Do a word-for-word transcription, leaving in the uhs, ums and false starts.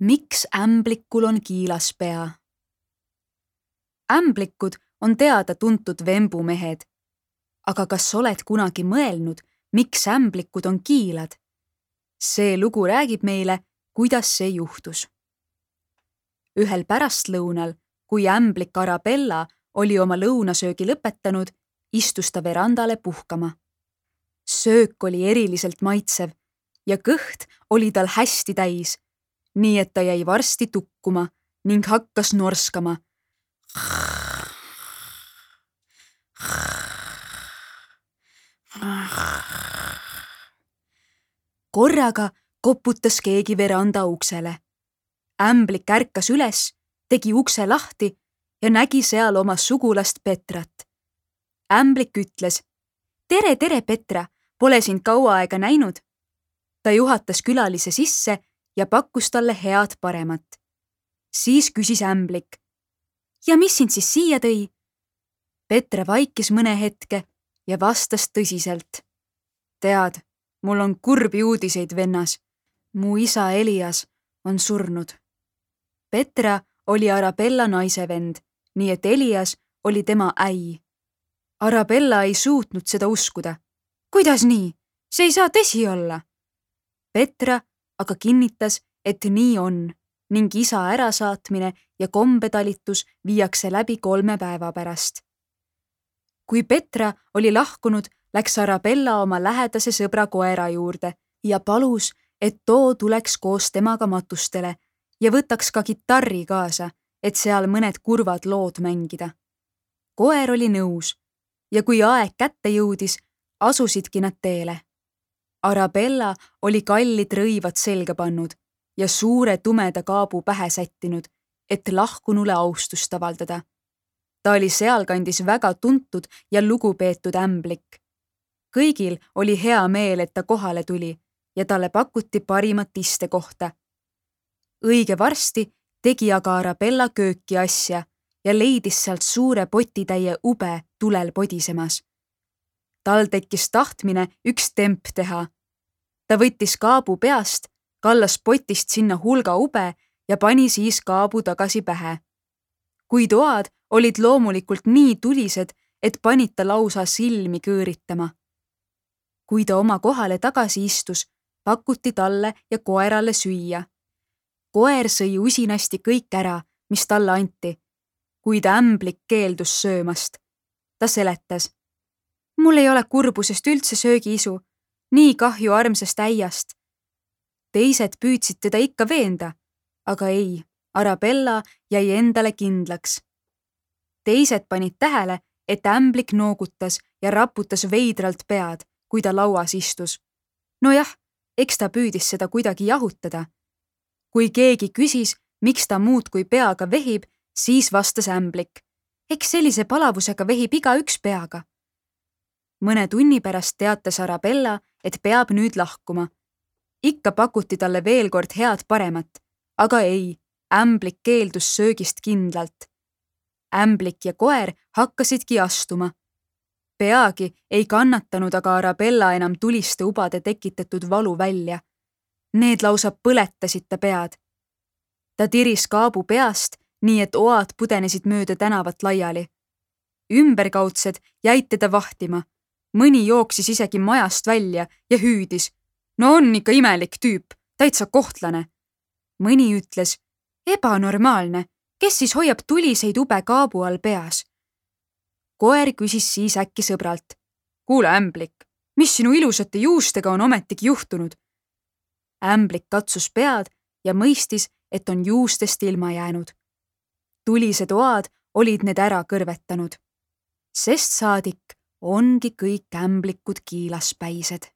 Miks ämblikul on kiilas pea? Ämblikud on teada-tuntud vembumehed. Aga kas oled kunagi mõelnud, miks ämblikud on kiilad? See lugu räägib meile, kuidas see juhtus. Ühel pärastlõunal, kui ämblik Arabella oli oma lõunasöögi lõpetanud, istus ta verandale puhkama. Söök oli eriliselt maitsev ja kõht oli tal hästi täis, nii et ta jäi varsti tukkuma ning hakkas norskama. Korraga koputas keegi veranda uksele. Ämblik ärkas üles, tegi ukse lahti ja nägi seal oma sugulast Petrat. Ämblik ütles, tere, tere Petra, pole sind kaua aega näinud. Ta juhatas külalise sisse ja pakkus talle head paremat. Siis küsis ämblik, ja mis sind siis siia tõi? Petra vaikis mõne hetke ja vastas tõsiselt. Tead, mul on kurbi uudiseid vennas. Mu isa Elias on surnud. Petra oli Arabella naise vend, nii et Elias oli tema äi. Arabella ei suutnud seda uskuda. Kuidas nii? See ei saa tõsi olla. Petra aga kinnitas, et nii on ning isa ärasaatmine ja kombetalitus viiakse läbi kolme päeva pärast. Kui Petra oli lahkunud, läks Arabella oma lähedase sõbra koera juurde ja palus, et too tuleks koos temaga matustele ja võtaks ka kitarri kaasa, et seal mõned kurvad lood mängida. Koer oli nõus ja kui aeg kätte jõudis, asusidki nad teele. Arabella oli kallid rõivad selga pannud ja suure tumeda kaabu pähe sättinud, et lahkunule austust avaldada. Ta oli sealkandis väga tuntud ja lugupeetud ämblik. Kõigil oli hea meel, et ta kohale tuli ja talle pakuti parimat istekohta. Õige varsti tegi aga Arabella kööki asja ja leidis sealt suure potitäie ube tulel podisemas. Tal tekkis tahtmine üks temp teha. Ta võttis kaabu peast, kallas potist sinna hulga ube ja pani siis kaabu tagasi pähe. Kui toad olid loomulikult nii tulised, et panid ta lausa silmi kõõritama. Kui ta oma kohale tagasi istus, pakuti talle ja koerale süüa. Koer sõi usinasti kõik ära, mis talle anti, kuid ämblik keeldus söömast. Ta seletas, mul ei ole kurbusest üldse söögiisu, nii kahju armsast äiast. Teised püüdsid teda ikka veenda, aga ei, Arabella jäi endale kindlaks. Teised panid tähele, et ämblik noogutas ja raputas veidralt pead, kui ta lauas istus. Nojah, eks ta püüdis seda kuidagi jahutada. Kui keegi küsis, miks ta muud kui peaga vehib, siis vastas ämblik. Eks sellise palavusega vehib iga üks peaga. Mõne tunni pärast teatas Arabella, et peab nüüd lahkuma. Ikka pakuti talle veel kord head paremat, aga ei, ämblik keeldus söögist kindlalt. Ämblik ja koer hakkasidki astuma. Peagi ei kannatanud aga Arabella enam tuliste ubade tekitatud valu välja. Need lausa põletasid ta pead. Ta tiris kaabu peast, nii et oad pudenesid mööda tänavat laiali. Ümberkaudsed jäid teda vahtima. Mõni jooksis isegi majast välja ja hüüdis. No on ikka imelik tüüp, täitsa kohtlane. Mõni ütles, ebanormaalne, kes siis hoiab tuliseid ube kaabu all peas? Koer küsis siis äkki sõbralt. Kuule ämblik, mis sinu ilusate juustega on ometigi juhtunud? Ämblik katsus pead ja mõistis, et on juustest ilma jäänud. Tulised oad olid need ära kõrvetanud. Sest saadik ongi kõik ämblikud kiilaspäised.